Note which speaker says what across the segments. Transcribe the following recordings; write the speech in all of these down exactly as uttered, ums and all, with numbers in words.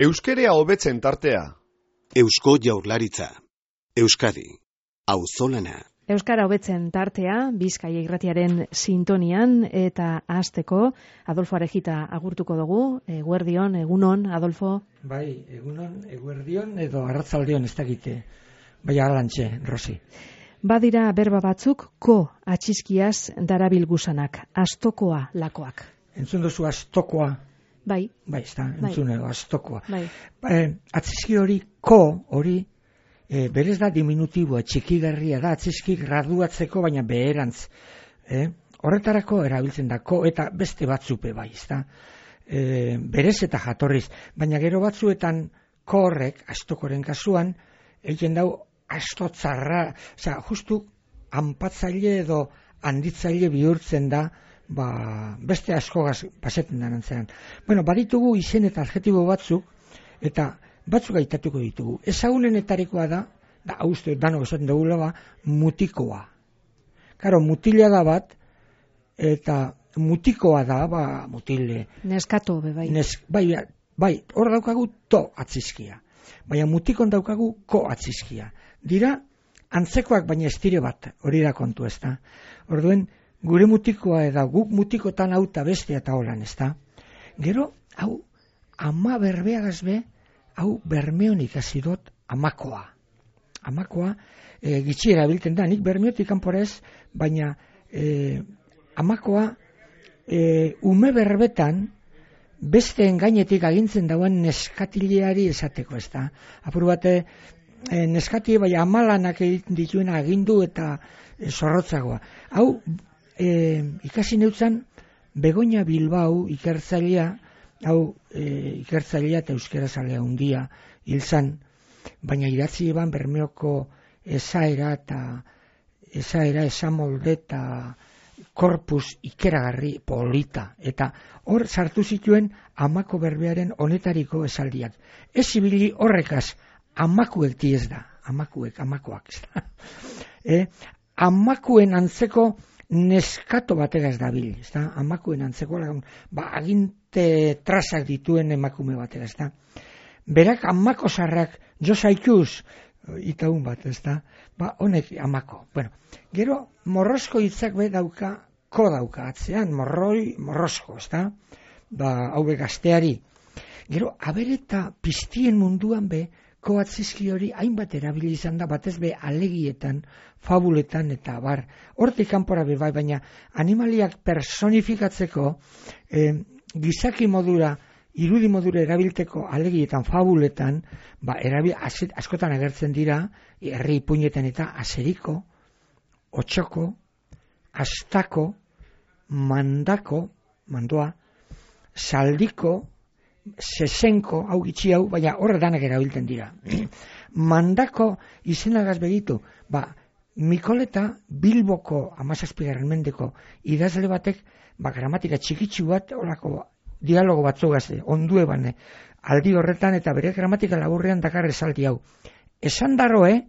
Speaker 1: Euskerea hobetzen tartea.
Speaker 2: Eusko Jaurlaritza. Euskadi. Auzolana.
Speaker 3: Euskara hobetzen tartea, Bizkaia irratiaren sintonian, eta hasteko Adolfo Arejita agurtuko dugu. Eguerdion, egunon, Adolfo.
Speaker 4: Bai, egunon, eguerdion edo arratzaldeon ez dakite. Bai, alantxe, Rosi.
Speaker 3: Badira berba batzuk ko atxiskiaz darabil gusanak, astokoa lakoak.
Speaker 4: Entzun duzu astokoa?
Speaker 3: Bai.
Speaker 4: Bai, ez da, entzun edo astokoa.
Speaker 3: Bai.
Speaker 4: Eh, atxiski hori, ko hori, eh, berez da diminutiboa, txikigarria da, atxiski graduatzeko, baina beherantz. Eh? Horretarako erabiltzen da, ko eta beste batzupe bai, ez da. Eh, berez eta jatorriz, baina gero batzuetan ko horrek, astokoren kasuan, egiten dau astotzarra, osea, justu anpatzaile edo handitzaile bihurtzen da, ba, beste askogaz pasetzen da nantzean. Bueno, baditugu izen eta adjetibo batzuk, eta batzuk aitatuko ditugu. Ezagunenetarikoa da, da, hau uste, dano esaten dugula ba, mutikoa. Karo, mutila da bat, eta mutikoa da, ba, mutile.
Speaker 3: Neskato, be, bai.
Speaker 4: Nes, bai, bai, hor daukagu to atzizkia. Baina mutikon daukagu ko atzizkia. Dira, antzekoak baina estire bat, hori da kontu ez da. Orduen, gure mutikoa eda guk mutikotan hau eta beste eta holan ez da. Gero, hau, ama berbeagaz be, hau bermeon ikasi dut amakoa. Amakoa, e, gitxiera bilten da, nik bermeotik kanpora ez, baina e, amakoa, e, ume berbetan, besteen gainetik agintzen dauen neskatileari esateko, ez da. Apur bate, e, neskati bai amalanak egiten dituen agindu eta e, zorrotzagoa. Hau, e, ikasi neutzan, Begoña Bilbao ikertzailea, hau e, ikertzailea eta euskerazalea hundia hil zan, baina idatzi eban Bermeoko esaera eta esaera esamolde eta korpus ikeragarri polita, eta hor sartu zituen amako berbearen honetariko esaldiak. Ez ibili horrekaz, amakuek diez da, amakuek, amakoak. e, amakuen antzeko neskato bategaz dabil, ez da, amakuen antzeko, ba, aginte trazak dituen emakume bategaz, da. Berak amako zarrak, jo zaituz, itaun bat, ez da, ba, honek amako. Bueno, gero, morrosko hitzak be dauka, ko dauka atzean, morroi, morrosko, ez da, ba, hau be gazteari. Gero, abereta piztien munduan be, ko atzizki hori hainbat erabili izan da, batez be alegietan, fabuletan eta bar. Hortik kanpora be bai, baina animaliak personifikatzeko, eh, gizaki modura, irudi modura erabilteko alegietan, fabuletan, ba, erabil, azet, askotan agertzen dira, herri ipuinetan eta aseriko, otxoko, astako, mandako, mandoa, saldiko, sesenko, hau gitxi hau, baina horre danak erabiltzen dira. Mandako izenagaz begitu, ba, Mikoleta Bilboko amazazpigarren mendeko idazle batek, ba, gramatika txikitsu bat, horako dialogo batzuk gazte, ondue bane, aldi horretan eta bere gramatika laburrean dakar esaldi hau. Esan daroe,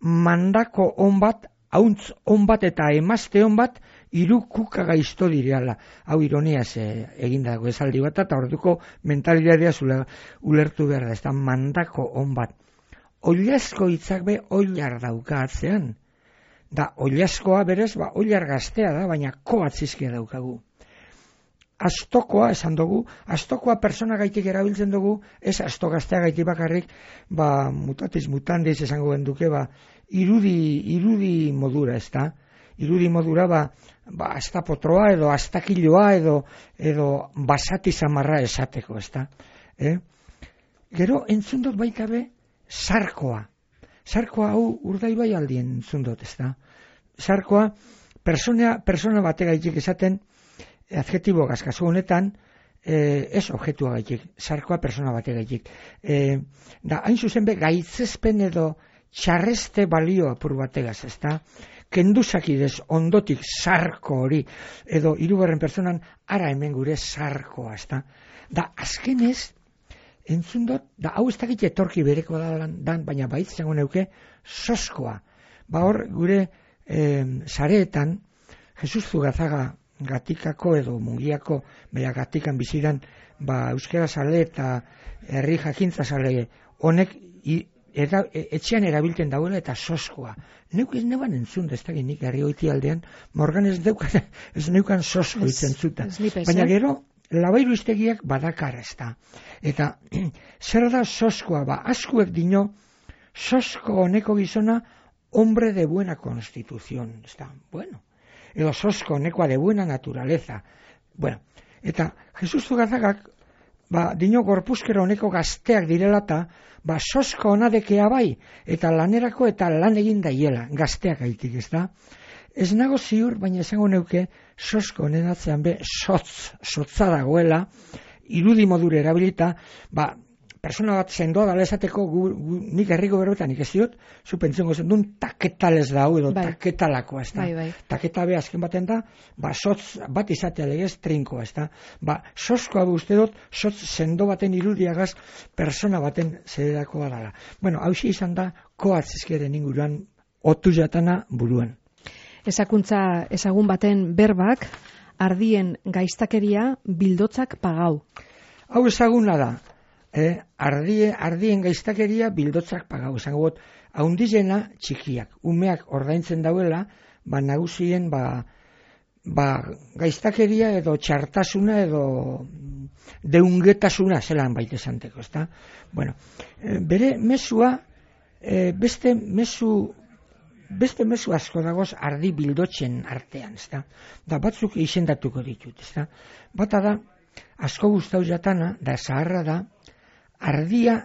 Speaker 4: mandako on bat, hauntz on bat eta emazte on bat, hiru kuka gaizto direala. Hau ironiaz eh, egindago esaldi bat, eta orduko mentalidadea zula ulertu behar da, ez da mandako on bat. Oilasko hitzak be oilar dauka atzean. Da, oilaskoa berez, ba, oilar gaztea da, baina ko atzizkia daukagu. Astokoa esan dugu, astokoa persona gaitik erabiltzen dugu, ez asto gaztea gaitik bakarrik, ba, mutatis mutandis esango genduke, ba, irudi, irudi modura, ez da? Irudi modura, ba, ba, astapotroa edo astakiloa edo, edo basati zamarra esateko, ez da? Eh? Gero, entzun dut baita be, sarkoa. Sarkoa hau Urdaibai aldien entzun dut, ez da? Sarkoa, persona, persona bate gaitik esaten, adjetibo gazkazu honetan, eh, ez objetua gaitik, sarkoa persona bate gaitik. Eh, da, hain zuzen be, gaitzezpen edo txarreste balio apur bategaz, ez da? Kenduzakidez ondotik sarko hori, edo hirugarren pertsonan ara hemen gure sarkoa, ez da? Da, azkenez, entzun dut, da, hau ez dakit etorki bereko da dan, baina baitz zango neuke, soskoa. Ba hor, gure eh, sareetan, Jesus Zugazaga Gatikako edo Mungiako, baina Gatikan biziran, ba, euskara sale eta herri jakintza sale honek i, Eta, etxean erabiltzen dauela eta soskoa. Neuk ez neban entzun, ez da nik herri hoiti aldean, morgan ez neukan, ez neukan sosko itzen zuta. Baina gero, labairu iztegiak badakar ez da. Eta, zer da soskoa, ba, askuek dino, sosko honeko gizona, hombre de buena constitución, ez da, bueno. Edo sosko honekoa de buena naturaleza. Bueno, eta, Jesus Zugazagak, ba, dino gorpuzkero honeko gazteak direlata, ba, sosko honadekea bai, eta lanerako eta lan egin daiela, gazteak aitik, ez da? Ez nago ziur, baina esango neuke, sosko honen atzean be, sotz, sotza dagoela, irudi modure erabilita, ba, persona bat sendoa dala esateko, gu, gu, nik herriko berbetan nik ez diot, zu pentsongo zen duen taketales dau, edo bai. Taketalakoa, ez da? Bai, bai. Taketa be azken baten da, ba, sotz bat izatea legez trinkoa, ez da? Ba, soskoa be uste dut, sotz sendo baten irudiagaz, persona baten zederakoa dala. Bueno, hausia izan da, koatzizkeren inguruan, otu jatana buruan.
Speaker 3: Ezakuntza ezagun baten berbak, ardien gaiztakeria bildotzak pagau.
Speaker 4: Hau ezaguna da, Eh, ardie, ardien gaiztakeria bildotzak pagau. Zango bot, haundizena txikiak, umeak ordaintzen dauela, ba nagusien ba, ba gaiztakeria edo txartasuna edo deungetasuna zelan baita esanteko, ezta? Bueno, eh, bere mesua, eh, beste mesu beste mesu asko dagoz ardi bildotzen artean, ezta? Da batzuk izendatuko ditut, ezta? Bata da, asko gustau jatana, da zaharra da, ardia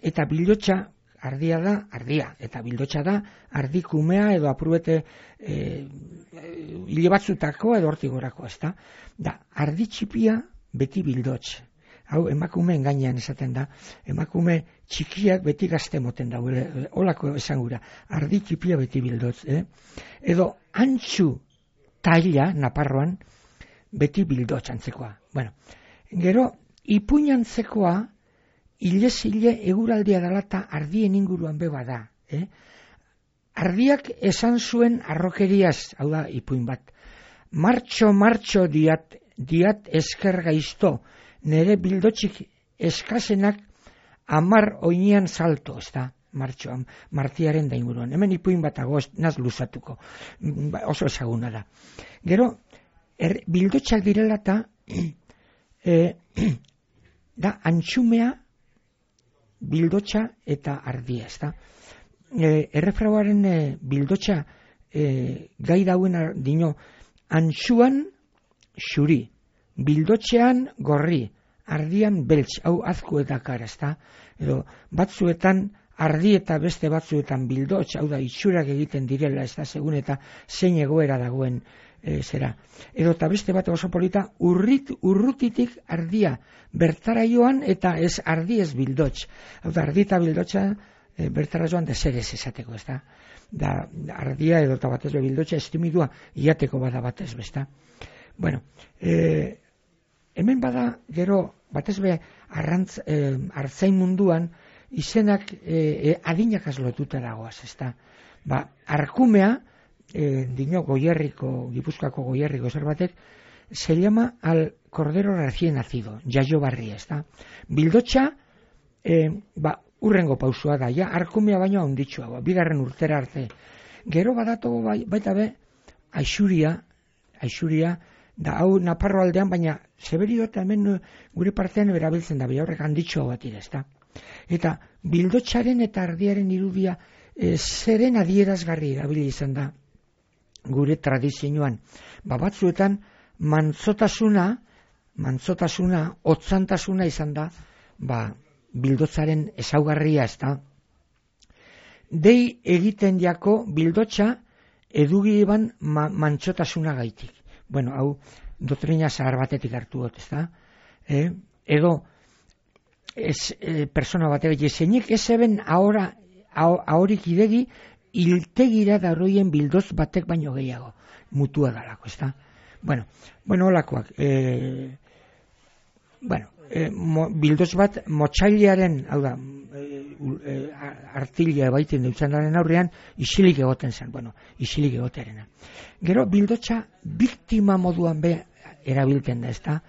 Speaker 4: eta bildotxa, ardia da, ardia, eta bildotxa da, ardikumea edo apruete e, hile batzutako edo hortigorako, ez da? Da, ardi txipia beti bildotx. Hau, emakumeen gainean esaten da, emakume txikiak beti gazte moten da, holako esangura, ardi txipia beti bildotx, eh? Edo, antxu taila, Naparroan, beti bildotx antzekoa. Bueno, gero, ipuinantzekoa, hilez hile eguraldia dalata ardien inguruan beba da. Eh? Ardiak esan zuen arrokeriaz, hau da ipuin bat. Martxo, martxo diat, diat esker gaizto, nere bildotxik eskasenak amar oinean salto, ez da, martxoan, martiaren da inguruan. Hemen ipuin bat ago, naz luzatuko, oso ezaguna da. Gero, er, bildotxak direlata, eh, da, antxumea, bildotxa eta ardia, ez da. E, errefrauaren e, bildotxa e, gai dauen dino, antxuan xuri, bildotxean gorri, ardian beltz, hau azku eta kara, ez da. Edo, batzuetan ardi eta beste batzuetan bildotx, hau da, itxurak egiten direla, ez da, segun eta zein egoera dagoen e, zera. Edo, eta beste bat oso polita, urrit, urrutitik ardia, bertara joan eta ez ardi ez bildotx. Hau da, ardi eta bildotxa e, bertara joan da zer ez esateko, ez da. Da, ardia edo eta batez be bildotxa estimidua iateko bada batez be, ez da. Bueno, e, hemen bada gero batez be arrantz, e, artzain munduan izenak e, e, adinakaz lotuta dagoaz, ez da. Ba, arkumea, e, dino Goierriko, Gipuzkoako Goierriko zer batek, se llama al cordero recién nacido, jaio barri, ez da. Bildotxa, e, ba, urrengo pausua da, ja, arkumea baino handitxua, ba, bigarren urtera arte. Gero badatu bai, baita be, aixuria, aixuria, da hau Naparro aldean, baina zeberio eta hemen gure partean berabiltzen da, bai horrek handitxua bat ira, ez da. Eta bildotxaren eta ardiaren irudia e, zeren adierazgarri erabili izan da gure tradizioan. Ba, batzuetan, mantzotasuna, mantzotasuna, otzantasuna izan da, ba, bildotzaren ezaugarria, ez da. Dei egiten jako bildotxa edugi eban ma, mantzotasuna gaitik. Bueno, hau, doktrina zahar batetik hartu dut, ez da. E, edo, ez, e, persona batek, jesenik ez eben ahora, ahorik idegi, hiltegira darroien bildoz batek baino gehiago, mutua dalako, ez da. Bueno, bueno, holakoak, e, bueno, e, mo, bildoz bat motxailiaren, hau da, e, e, artila baiten dutxanaren aurrean, isilik egoten zen, bueno, isilik egoterena. Gero, bildotxa biktima moduan be erabilten da, ezta?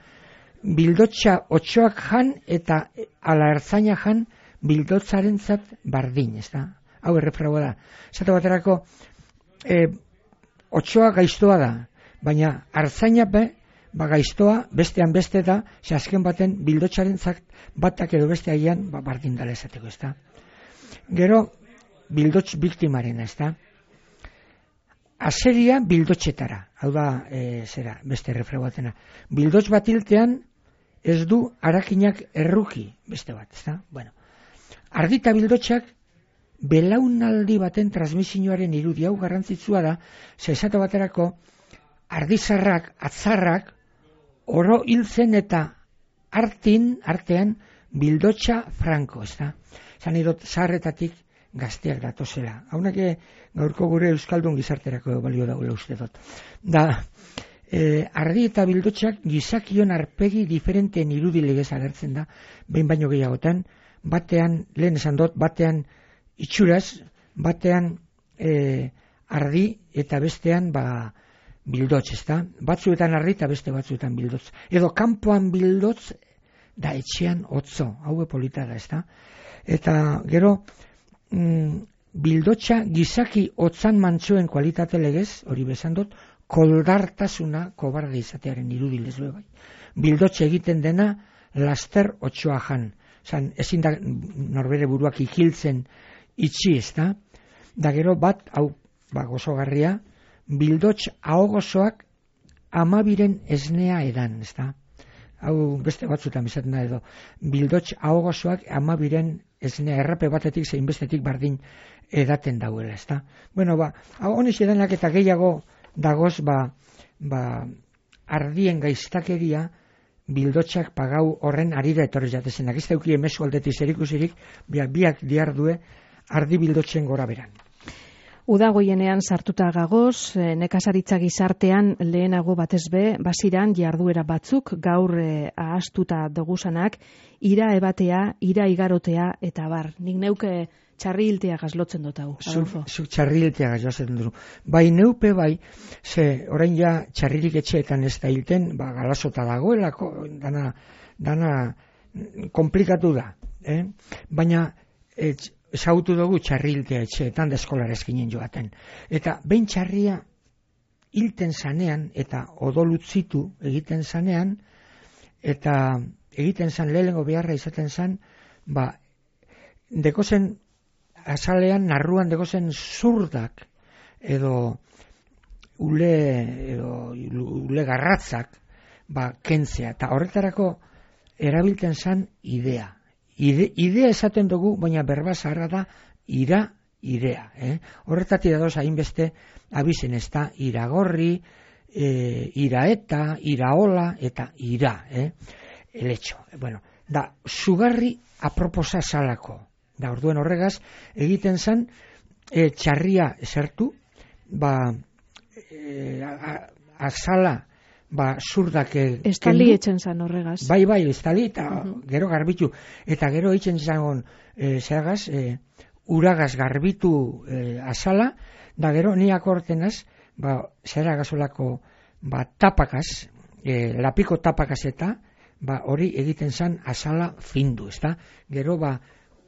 Speaker 4: Bildotxa otxoak jan eta ala ertzaina jan bildotzaren zat bardin, ezta? Hau errefragoa da. Zata baterako, e, otxoa gaiztoa da, baina artzaina be, ba gaiztoa bestean beste da, ze azken baten bildotxaren zat batak edo beste aian ba, bardin dala esateko, ezta? Gero, bildotx biktimaren, ezta? Aseria bildotxetara, hau da, e, zera, beste errefragoatena. Bildotx bat hiltean, ez du arakinak erruki beste bat, ezta? Bueno, ardita bildotxak belaunaldi baten transmisioaren irudi, hau garrantzitsua da, ze esate baterako ardizarrak, atzarrak, oro hiltzen eta artin, artean, bildotxa franko, ezta? Zan idot, zaharretatik gazteak datozela. Haunak gaurko gure euskaldun gizarterako balio dagoela uste dut. Da, e, ardi eta bildotxak gizakion arpegi diferenteen irudi legez agertzen da, behin baino gehiagotan, batean, lehen esan dut, batean itxuraz, batean e, ardi eta bestean ba, bildotx, ezta? Batzuetan ardi eta beste batzuetan bildotx. Edo kanpoan bildotx da etxean otzo, hau polita da, ezta? Eta gero, mm, bildotxa gizaki otzan mantxoen kualitate legez, hori bezan dut, koldartasuna kobarde izatearen irudilez bai. Bildotxe egiten dena laster otxoa jan. Zan, ezin da norbere buruak ikiltzen itxi, ezta? Da gero bat, hau ba, gozogarria, bildotx ahogozoak amabiren esnea edan, ezta? Hau beste batzutan bizaten da edo, bildotx ahogozoak amabiren esnea errape batetik zein bestetik bardin edaten dauela, ezta? Bueno, ba, honez edanak eta gehiago dagoz, ba, ba, ardien gaiztakeria bildotxak pagau horren arira etorri jatezenak. Ez dauki emezu aldetik zerikusirik, biak, biak diardue ardi bildotxen gora beran.
Speaker 3: Udagoienean sartuta gagoz, nekazaritza gizartean lehenago batez be, basiran jarduera batzuk gaur eh, ahastuta dogusanak, ira ebatea, ira igarotea eta bar. Nik neuke txarri hiltea gazlotzen dut hau.
Speaker 4: Zuk zu, txarri hiltea gazlotzen dut. Bai neupe bai, ze orain ja txarririk etxeetan ez da hilten, ba galasota dagoelako, dana, dana komplikatu da. Eh? Baina et, ezagutu dugu txarri hiltea etxeetan da eskolara eskinen joaten. Eta behin txarria hilten zanean eta odolutzitu egiten zanean, eta egiten zan lehengo beharra izaten zan, ba, dekozen azalean, narruan dekozen zurdak edo ule, edo ule garratzak ba, kentzea. Eta horretarako erabilten zan idea. Ide, idea esaten dugu, baina berba zaharra da ira, irea. Eh? Horretatik dadoz hainbeste abizen ez da iragorri, e, iraeta, iraola eta ira. Eh? Eletxo. Bueno, da, sugarri aproposa salako. Da, orduen horregaz, egiten zen e, txarria zertu, ba, e, azala, ba, zurdak
Speaker 3: estali etxen zan horregaz.
Speaker 4: Bai, bai, estali eta uh-huh. Gero garbitu. Eta gero etxen zagon e, zeragaz, e, uragaz garbitu e, azala, da gero niak ortenaz, ba, zeragazolako ba, tapakaz, e, lapiko tapakaz eta, ba, hori egiten zan azala findu, ezta? Gero, ba,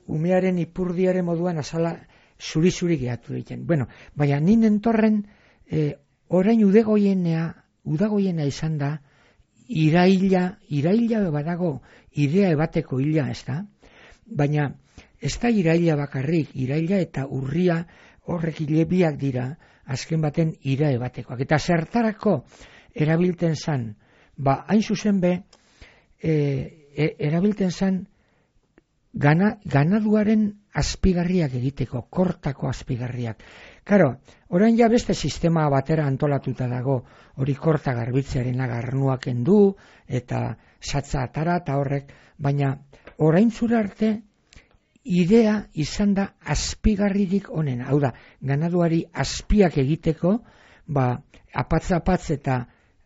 Speaker 4: umearen ipurdiaren moduan azala zuri-zuri gehatu egiten. Bueno, baina ninen torren, e, orain udegoienea, udagoiena izan da, iraila, iraila badago, idea ebateko hila, ez da? Baina, ez da iraila bakarrik, iraila eta urria horrek hilebiak dira, azken baten ira ebatekoak. Eta zertarako erabilten zan, ba, hain zuzen be, e, e, erabilten zan, gana, ganaduaren azpigarriak egiteko, kortako azpigarriak. Karo, orain ja beste sistema batera antolatuta dago, hori korta garbitzearen agarnuak endu, eta satza atara eta horrek, baina orain zura arte, idea izan da azpigarririk onena. Hau da, ganaduari azpiak egiteko, ba, apatz-apatz eta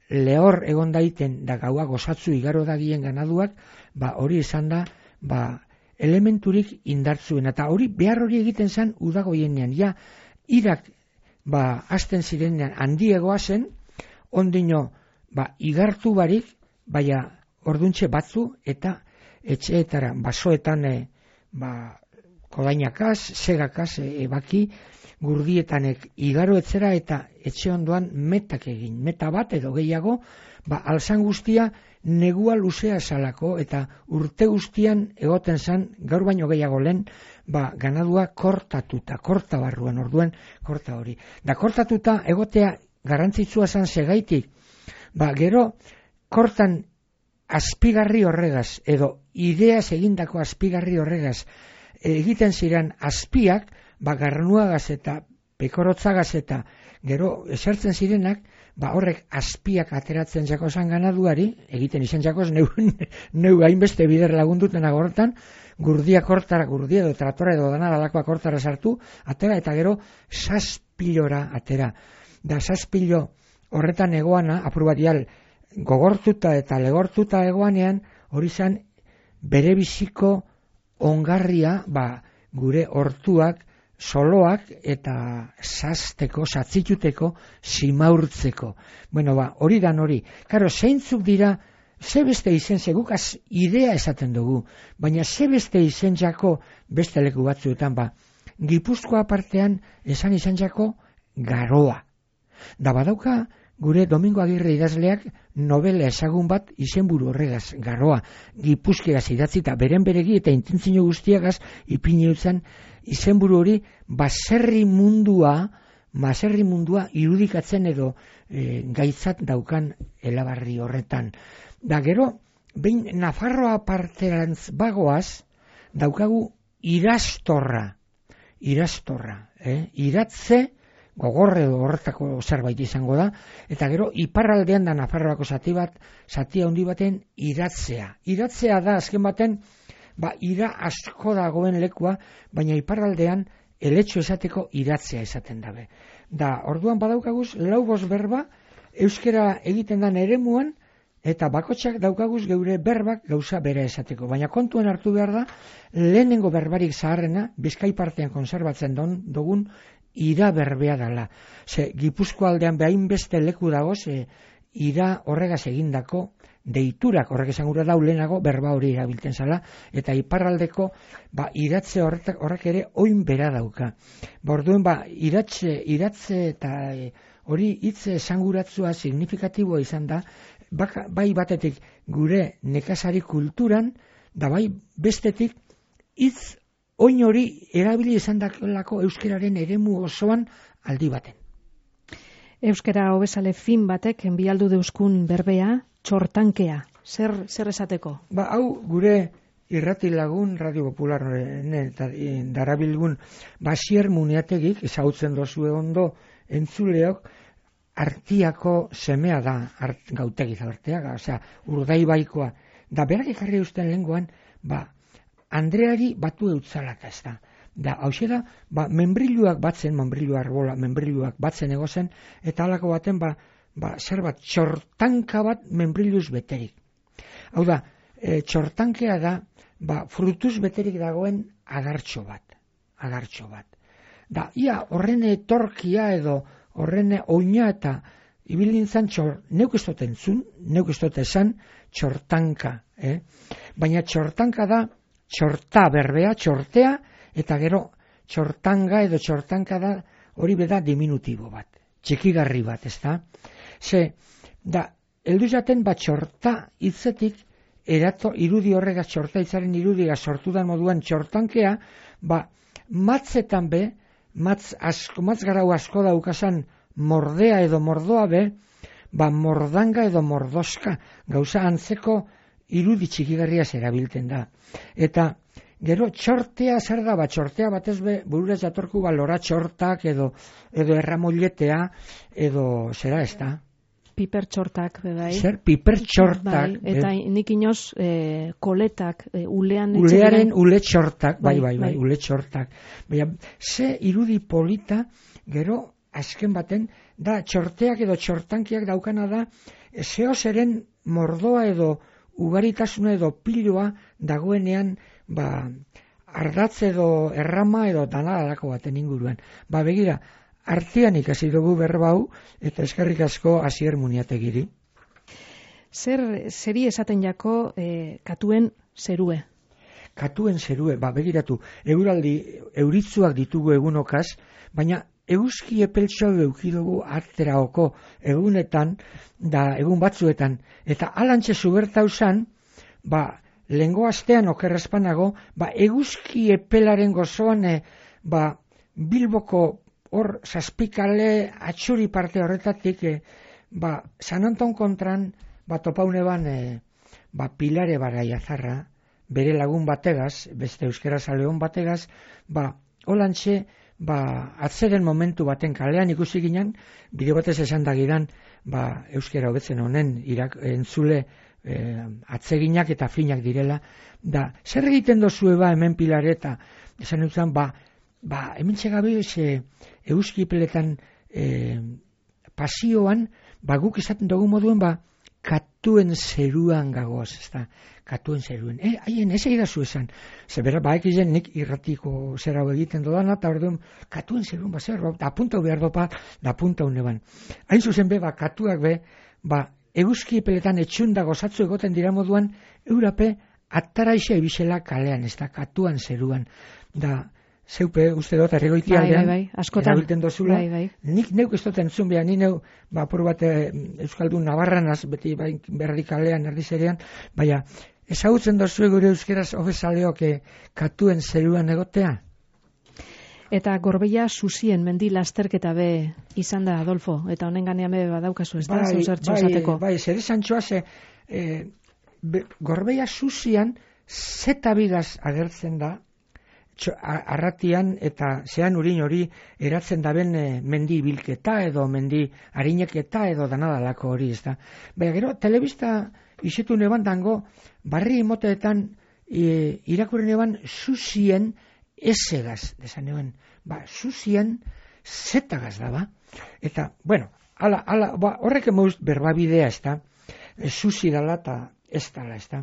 Speaker 4: lehor egon daiten da gaua gozatzu igaro dagien ganaduak, ba, hori izan da, ba, elementurik indartzuen, eta hori behar hori egiten zen udagoienean, ja, irak, ba, hasten zirenean handiegoa zen, ondino, ba, igartu barik, baina orduntxe batzu, eta etxeetara, basoetan, e, ba, kodainakaz, segakaz, e, ebaki, gurdietanek igaro etzera, eta etxe ondoan metak egin, meta bat edo gehiago, ba, alzan guztia, negua luzea salako, eta urte guztian egoten zan, gaur baino gehiago lehen, ba, ganadua kortatuta, korta barruan, orduen korta hori. Da kortatuta egotea garrantzitsua zan segaitik, ba, gero kortan azpigarri horregaz, edo ideaz egindako azpigarri horregaz, egiten ziren azpiak, ba, garnuagaz eta pekorotzagaz eta gero esertzen zirenak, ba, horrek azpiak ateratzen jako zan ganaduari, egiten izan jakoz, neu, neu hainbeste bider lagunduten agortan, gurdia kortara, gurdia edo tratora edo dana dalakoa kortara sartu, atera eta gero saspilora atera. Da saspilo horretan egoana, apur bat dial, gogortuta eta legortuta egoanean, hori zan bere biziko ongarria, ba, gure hortuak, soloak eta sasteko, satzituteko, simaurtzeko. Bueno, ba, hori dan hori. Karo, zeintzuk dira, ze beste izen, segukaz idea esaten dugu, baina ze beste izen jako beste leku batzuetan, ba, Gipuzkoa partean esan izan jako garoa. Da badauka, gure Domingo Agirre idazleak novela ezagun bat izenburu horregaz, garoa, gipuzkeraz idatzita, beren beregi eta intentzio guztiagaz ipini utzan, izenburu hori baserri mundua, baserri mundua irudikatzen edo e, gaitzat daukan elabarri horretan. Da gero, behin Nafarroa parterantz bagoaz, daukagu irastorra, irastorra, eh? Iratze, gogorre edo horretako zerbait izango da, eta gero iparraldean da Nafarroako zati bat, zati handi baten iratzea. Iratzea da azken baten, ba, ira asko dagoen lekua, baina iparraldean eletxo esateko iratzea esaten dabe. Da, orduan badaukaguz, lau bost berba, euskera egiten dan eremuan, eta bakotxak daukaguz geure berbak gauza bera esateko. Baina kontuen hartu behar da, lehenengo berbarik zaharrena, Bizkai partean konserbatzen don, dugun, ira berbea dala. Ze, Gipuzko aldean behain beste leku dago, ze, ira horregaz egindako deiturak, horrek esan gura dau lehenago, berba hori erabiltzen zala, eta iparraldeko, ba, iratze horretak, horrek ere oin bera dauka. Ba, orduen, ba, iratze, iratze eta e, hori hitze esanguratzua signifikatiboa izan da, baka, bai batetik gure nekazari kulturan, da bai bestetik hitz oin hori erabili izan dakelako euskararen eremu osoan aldi baten.
Speaker 3: Euskara hobezale fin batek enbialdu deuskun berbea, txortankea. Zer, zer esateko?
Speaker 4: Ba, hau gure irrati lagun, Radio Popular eta darabilgun Basier Muniategik, ezagutzen dozue ondo entzuleok, Artiako semea da, art, gautegi zaberteaga, osea, Urdaibaikoa. Da, berak ekarri usten lenguan, ba, Andreari batu eutzalak ez da. Da, hau da, ba, membriluak batzen, membrilu arbola, membriluak batzen egozen, eta halako baten, ba, ba, zer bat, txortanka bat membriluz beterik. Hau da, e, txortankea da, ba, frutuz beterik dagoen adartxo bat, adartxo bat. Da, ia, horrene etorkia edo, horrene oina eta ibilintzan txor, neuk ez dut entzun, neuk ez dut esan, txortanka, eh? Baina txortanka da, txorta berbea, txortea, eta gero txortanga edo txortanka da, hori beda diminutibo bat, txikigarri bat, ez da? Ze, da, heldu jaten bat txorta hitzetik, erato, irudi horregaz, txorta hitzaren irudia sortudan moduan txortankea, ba, matzetan be, matz, asko, matz garau asko daukasan mordea edo mordoa be, ba, mordanga edo mordoska, gauza antzeko irudi txikigarriaz erabiltzen da. Eta gero txortea zer da, ba, txortea batez be, bururez jatorku ba, lora txortak edo, edo erramolletea edo zera ez da.
Speaker 3: Piper txortak, bai.
Speaker 4: Zer, piper txortak.
Speaker 3: Bai, eta eh? nik inoz e, koletak, e, ulean...
Speaker 4: Ulearen ule txortak, bai, bai, bai, bai, ule txortak. Baina, ze irudi polita, gero, azken baten, da, txorteak edo txortankiak daukana da, zeo zeren mordoa edo ugaritasuna edo piloa dagoenean ba, ardatz edo errama edo danadalako baten inguruan. Ba, begira, artean ikasi dugu berba hau, eta eskerrik asko Asier Muniategiri.
Speaker 3: Zer, zeri esaten jako e, katuen zerue?
Speaker 4: Katuen zerue, ba, begiratu, euraldi, euritzuak ditugu egunokaz, baina euski epeltxo eukidugu arteraoko egunetan, da egun batzuetan, eta alantxe zubertau zan, ba, lehengo astean okerrezpanago, ba, eguzki epelaren gozoan, e, ba, Bilboko hor zazpikale atxuri parte horretatik, e, ba, San Anton kontran, ba, topaune ban, e, ba, Pilare Baraiazarra, bere lagun bategaz, beste euskera zaleon bategaz, ba, holantxe, ba, atzeren momentu baten kalean ikusi ginen, bide batez esan dagidan, ba, euskera hobetzen honen irak, entzule e, atzeginak eta finak direla, da, zer egiten dozue ba hemen Pilare eta esan duzan, ba, ba, hemen txegabe e, euskipeletan e, pasioan, ba, guk esaten dugu moduen, ba, katuen zeruan gagoz, ez da, katuen zeruen. E, haien, ez egidazu esan. Zebera, ba, ekizen nik irratiko zera egiten dodan, eta orduan, katuen zeruen, ba, zer, da punta behar dopat, da punta uneban. Hain zuzen be, ba, katuak be, ba, eguzki peletan etxunda gozatzu egoten dira moduan, eurape, ataraixa ebizela kalean, ez da, katuan zeruan. Da, zeupe, uste dut, erregoitia
Speaker 3: bai, bai, bai, askotan,
Speaker 4: erabilten dozula,
Speaker 3: bai, bai.
Speaker 4: Nik neuk ez dut entzun behar, ni neu, ba, apur bat e, Euskaldun Navarranaz, beti bai, berri kalean, erdizerean, baina, ezagutzen dozu gure euskeraz hobezaleok e, katuen zeruan egotea?
Speaker 3: Eta Gorbeia Susien mendi lasterketa be izan da, Adolfo, eta honen ganean be badaukazu, ez da,
Speaker 4: bai,
Speaker 3: zauzertxo
Speaker 4: bai,
Speaker 3: esateko.
Speaker 4: Bai, zer esan txoaz, e, be, Gorbeia Susian zeta bigaz agertzen da, txo, a, arratian eta zean urin hori eratzen daben e, mendi bilketa edo mendi harineketa edo danadalako hori, ez da. Baina gero, telebista isetu neban dango, barri imoteetan e, irakurri neban Susien esegaz, desan neban, ba, Susien zetagaz da, ba. Eta, bueno, ala, ala, ba, horrek emauz berbabidea, ez da, e, Susi dala eta ez dala, ez da.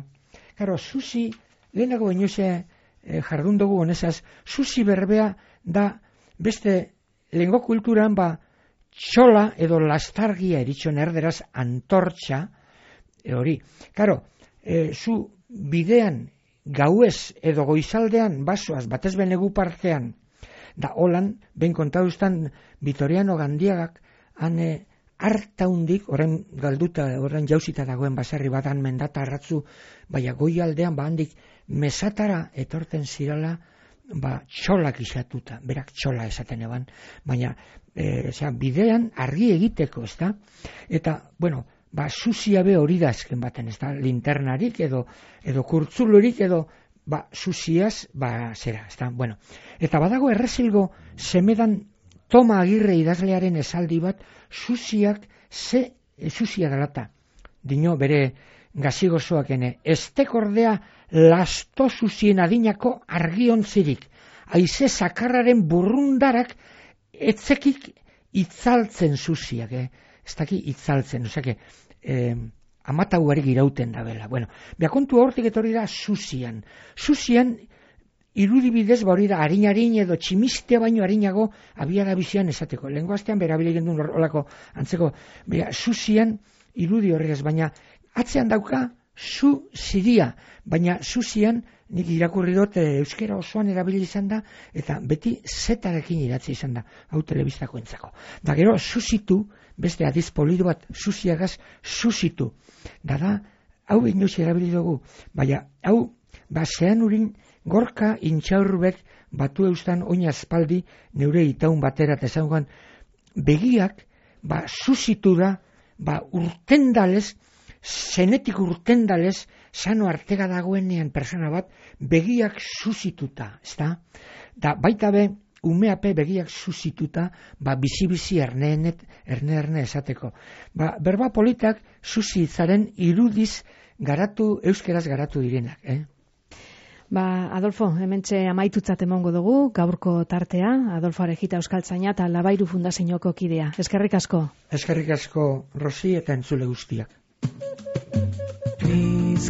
Speaker 4: Karo, Susi, lehenago inoze e, jardun dugu honezaz, Susi berbea da beste lehengo kulturan, ba, txola edo lastargia eritxon erderaz antortxa, e, hori. Karo, e, zu bidean gauez edo goizaldean basoaz, batez benegu partean, da holan, ben kontauztan Vitoriano Gandiagak, hane hartaundik, horren galduta, horren jauzita dagoen basarri batan mendata arratzu, baina goialdean, ba handik mesatara etorten zirala, ba txolak isatuta, berak txola esaten eban, baina e, zera, bidean argi egiteko, ez da? Eta, bueno, ba Susia be hori da azken baten, ez da? Linternarik edo, edo kurtzulurik edo, ba Susiaz, ba zera, ez da? Bueno, eta badago errezilgo semedan Toma Agirre idazlearen esaldi bat, Susiak ze, e, Susia dalata, dino bere gazigozoakene, estekordea lasto Susien adinako argiontzirik, haize sakarraren burrundarak etzekik itzaltzen Susiak, eh? Ez daki itzaltzen, osake, eh, amatauarik irauten da bela. Bueno, beha kontu hortik etorri da Susian. Susian, irudibidez, ba hori da, harin-harin edo tximistea baino harinago abiara bizian esateko. Lehenko astean berabile gendun horrelako antzeko, beha, Susian irudi horregaz, baina atzean dauka Su Siria, baina Susian nik irakurri dut e, euskera osoan erabili izan da, eta beti zetarekin idatzi izan da, hau telebistako entzako. Da gero, susitu, beste adiz polido bat, Susiagaz, susitu. Da da, hau inoiz erabili dugu, baina hau, ba zean urin, gorka intxaurbek batu eustan oina espaldi neure itaun batera eta esan begiak, ba susitu da, ba urtendalez, zenetik urtendalez, sano artega dagoenean persona bat, begiak susituta, ez da? Da, baita be, umeape begiak susituta, ba, bizi-bizi erne-erne erne esateko. Ba, berba politak susitzaren irudiz garatu, euskeraz garatu direnak, eh?
Speaker 3: Ba, Adolfo, hementxe amaitutzat emongo dugu, gaurko tartea, Adolfo Arejita Euskaltzaina eta Labairu Fundazioko kidea. Eskerrik asko.
Speaker 4: Eskerrik asko, Rosi, eta entzule guztiak.
Speaker 3: Please